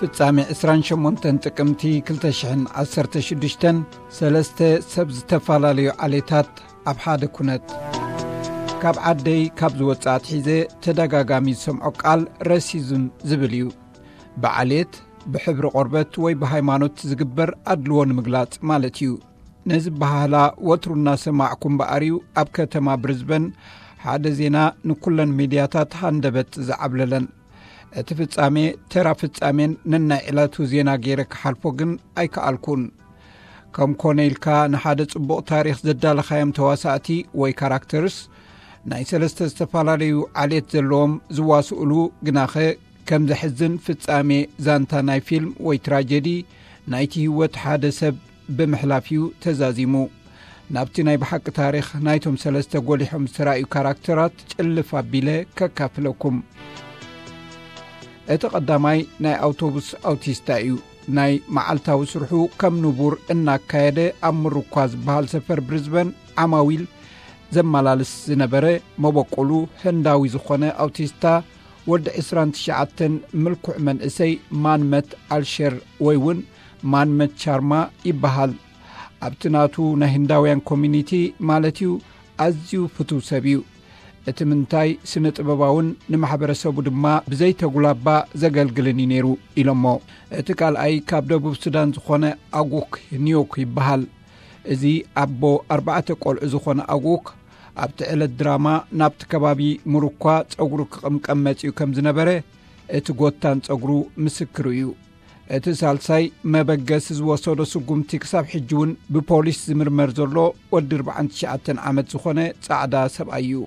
ፍጻሜ ዕስራን ሸሞንተን ጥቅምቲ ክልተ ሽሕን ዓሰርተ ሽዱሽተን፣ ሰለስተ ሰብ ዝተፈላለዩ ዓሌታት ኣብ ሓደ ኩነት። ካብ ዓደይ ካብ ዝወጽእ ኣትሒዘ ተደጋጋሚ ዝሰምዖ ቃል ረሲዝም ዝብል እዩ። ብዓሌት፣ ብሕብሪ ቆርበት ወይ ብሃይማኖት ዝግበር ኣድልዎ ንምግላጽ ማለት እዩ። ነዚ በሃህላ ወትሩ እናሰማዕኩ እምበኣር እዩ ኣብ ከተማ ብሪዝበን ሓደ ዜና ንኩለን ሚድያታት ሃንደበት ዝዓብለለን። እቲ ፍጻሜ ተራ ፍጻሜን ነናይ ዕለቱ ዜና ገይረ ክሓልፎ ግን ኣይከኣልኩን። ከም ኮነ ኢልካ ንሓደ ጽቡቕ ታሪኽ ዘዳለኻዮም ተዋሳእቲ ወይ ካራክተርስ ናይ ሰለስተ ዝተፈላለዩ ዓሌት ዘለዎም ዝዋስኡሉ ግናኸ ከም ዘሕዝን ፍጻሜ ዛንታ ናይ ፊልም ወይ ትራጀዲ ናይቲ ህይወት ሓደ ሰብ ብምሕላፍ እዩ ተዛዚሙ። ናብቲ ናይ ብሓቂ ታሪኽ ናይቶም ሰለስተ ጎሊሖም ዝተራእዩ ካራክተራት ጭልፍ ኣቢለ ከካፍለኩም። እቲ ቀዳማይ ናይ ኣውቶቡስ ኣውቲስታ እዩ። ናይ መዓልታዊ ስርሑ ከም ንቡር እናካየደ ኣብ ምርኳ ዝበሃል ሰፈር ብሪዝበን ዓማዊል ዘመላልስ ዝነበረ፣ መበቆሉ ህንዳዊ ዝኾነ ኣውቲስታ ወዲ ዕስራን ትሽዓተን ምልኩዕ መንእሰይ ማንመት ኣልሸር ወይ እውን ማንመት ቻርማ ይበሃል። ኣብቲ ናቱ ናይ ህንዳውያን ኮሚኒቲ ማለት እዩ ኣዝዩ ፍቱው ሰብ እዩ። እቲ ምንታይ ስነ ጥበባውን ንማሕበረሰቡ ድማ ብዘይተጉላባ ዘገልግልን እዩ ነይሩ ኢሎሞ። እቲ ካልኣይ ካብ ደቡብ ሱዳን ዝኾነ ኣጉክ ኒዮክ ይበሃል። እዚ ኣቦ ኣርባዕተ ቆልዑ ዝኾነ ኣጉክ ኣብቲ ዕለት ድራማ ናብቲ ከባቢ ምሩኳ ጸጉሩ ክቕምቀም መጺኡ ከም ዝነበረ እቲ ጎታን ጸጉሩ ምስክሩ እዩ። እቲ ሳልሳይ መበገሲ ዝወሰዶ ስጉምቲ ክሳብ ሕጂ እውን ብፖሊስ ዝምርመር ዘሎ ወዲ ኣርባዓን ትሽዓተን ዓመት ዝኾነ ጻዕዳ ሰብኣይ እዩ።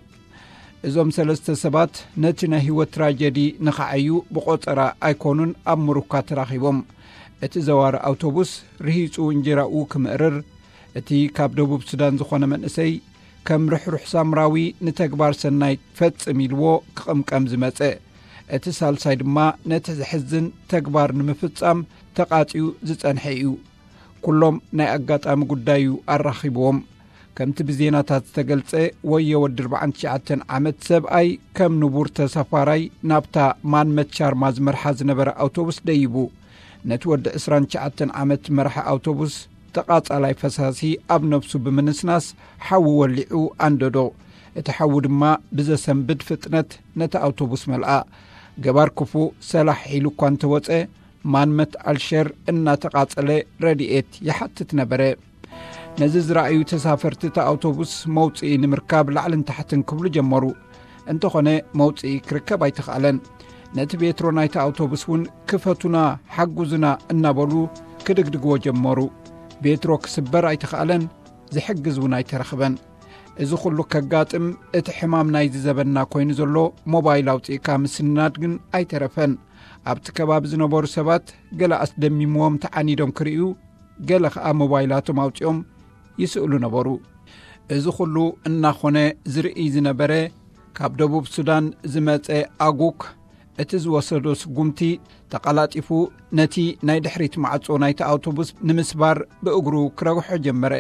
እዞም ሰለስተ ሰባት ነቲ ናይ ህይወት ትራጀዲ ንኸዓዩ ብቆጸራ ኣይኮኑን ኣብ ምሩኳ ተራኺቦም። እቲ ዘዋሪ ኣውቶቡስ ርሂጹ እንጀራኡ ክምእርር፣ እቲ ካብ ደቡብ ሱዳን ዝኾነ መንእሰይ ከም ርሕሩሕ ሳምራዊ ንተግባር ሰናይ ፈጽም ኢልዎ ክቕምቀም ዝመጸ፣ እቲ ሳልሳይ ድማ ነቲ ዘሕዝን ተግባር ንምፍጻም ተቓጽዩ ዝጸንሐ እዩ። ኩሎም ናይ ኣጋጣሚ ጉዳይ እዩ ኣራኺብዎም። ከምቲ ብዜናታት ዝተገልጸ፣ ወዮ ወዲ ኣርባዓን ትሽዓተን ዓመት ሰብኣይ ከም ንቡር ተሳፋራይ ናብታ ማንመት ቻርማ ዝመርሓ ዝነበረ ኣውቶቡስ ደይቡ። ነቲ ወዲ ዕስራን ትሽዓተን ዓመት መራሒ ኣውቶቡስ ተቓጻላይ ፈሳሲ ኣብ ነብሱ ብምንስናስ ሓዊ ወሊዑ ኣንደዶ። እቲ ሓዊ ድማ ብዘሰንብድ ፍጥነት ነቲ ኣውቶቡስ መልኣ። ገባር ክፉእ ሰላሕ ኢሉ እኳ እንተወጸ፣ ማንመት ኣልሸር እናተቓጸለ ረድኤት ይሓትት ነበረ። ነዚ ዝረኣዩ ተሳፈርቲ እታ ኣውቶቡስ መውጽኢ ንምርካብ ላዕልን ታሕትን ክብሉ ጀመሩ። እንተኾነ መውጽኢ ክርከብ ኣይተኻእለን። ነቲ ቤትሮ ናይታ ኣውቶቡስ እውን ክፈቱና፣ ሓጉዙና እናበሉ ክድግድግዎ ጀመሩ። ቤትሮ ክስበር ኣይተኻእለን፣ ዝሕግዝ እውን ኣይተረኽበን። እዚ ኩሉ ከጋጥም እቲ ሕማም ናይዚ ዘበንና ኮይኑ ዘሎ ሞባይል ኣውጺእካ ምስንናድ ግን ኣይተረፈን። ኣብቲ ከባቢ ዝነበሩ ሰባት ገለ ኣስደሚምዎም ተዓኒዶም ክርእዩ፣ ገለ ኸኣ ሞባይላቶም ኣውጺኦም ይስእሉ ነበሩ። እዚ ኩሉ እናኾነ ዝርእይ ዝነበረ ካብ ደቡብ ሱዳን ዝመጸ ኣጉክ እቲ ዝወሰዶ ስጉምቲ ተቐላጢፉ ነቲ ናይ ድሕሪት ማዕጾ ናይቲ ኣውቶቡስ ንምስባር ብእግሩ ክረግሖ ጀመረ።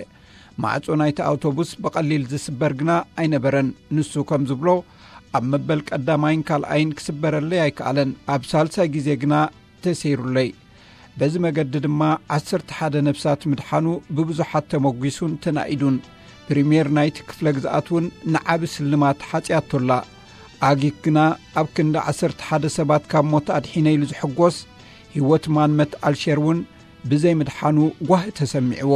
ማዕጾ ናይቲ ኣውቶቡስ ብቐሊል ዝስበር ግና ኣይነበረን። ንሱ ከም ዝብሎ ኣብ መበል ቀዳማይን ካልኣይን ክስበረለይ ኣይከኣለን። ኣብ ሳልሳይ ግዜ ግና ተሰይሩለይ። በዚ መገዲ ድማ ዓሰርተ ሓደ ነፍሳት ምድሓኑ ብብዙሓት ተመጒሱን ተናኢዱን። ፕሪምየር ናይቲ ክፍለ ግዝኣት እውን ንዓቢ ስልማት ሓጽያቶላ። ኣጊክ ግና ኣብ ክንዲ ዓሰርተ ሓደ ሰባት ካብ ሞት ኣድሒነ ኢሉ ዝሕጎስ፣ ህይወት ማንመት ኣልሸር እውን ብዘይ ምድሓኑ ጓሂ ተሰሚዕዎ።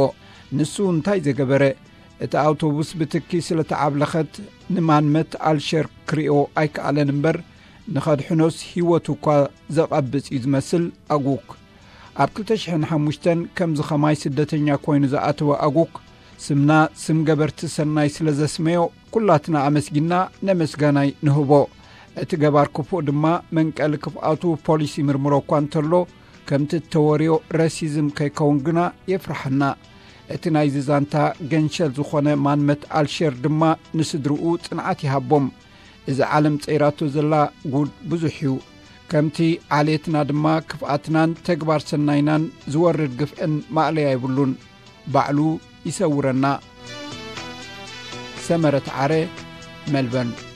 ንሱ እንታይ ዘገበረ? እቲ ኣውቶቡስ ብትኪ ስለ ተዓብለኸት ንማንመት ኣልሸር ክሪኦ ኣይከኣለን እምበር፣ ንኸድሕኖስ ህይወቱ እኳ ዘቐብጽ እዩ ዝመስል ኣጉክ። ኣብ ክልተ ሽሕን ሓሙሽተን ከምዚ ኸማይ ስደተኛ ኮይኑ ዝኣተወ ኣጉክ፣ ስምና ስም ገበርቲ ሰናይ ስለ ዘስመዮ፣ ኩላትና ኣመስጊና ነመስጋናይ ንህቦ። እቲ ገባር ክፉእ ድማ መንቀሊ ክፍኣቱ ፖሊስ ይምርምሮ እኳ እንተሎ፣ ከምቲ እተወርዮ ረሲዝም ከይከውን ግና የፍርሓና። እቲ ናይዚ ዛንታ ገንሸል ዝኾነ ማንመት ኣልሸር ድማ ንስድርኡ ጽንዓት ይሃቦም። እዚ ዓለም ጸይራቶ ዘላ ጉድ ብዙሕ እዩ። ከምቲ ዓሌትና ድማ ክፍኣትናን ተግባር ሰናይናን ዝወርድ ግፍዕን ማእለያ የብሉን። ባዕሉ ይሰውረና። ሰመረት ዓረ፣ መልበርን።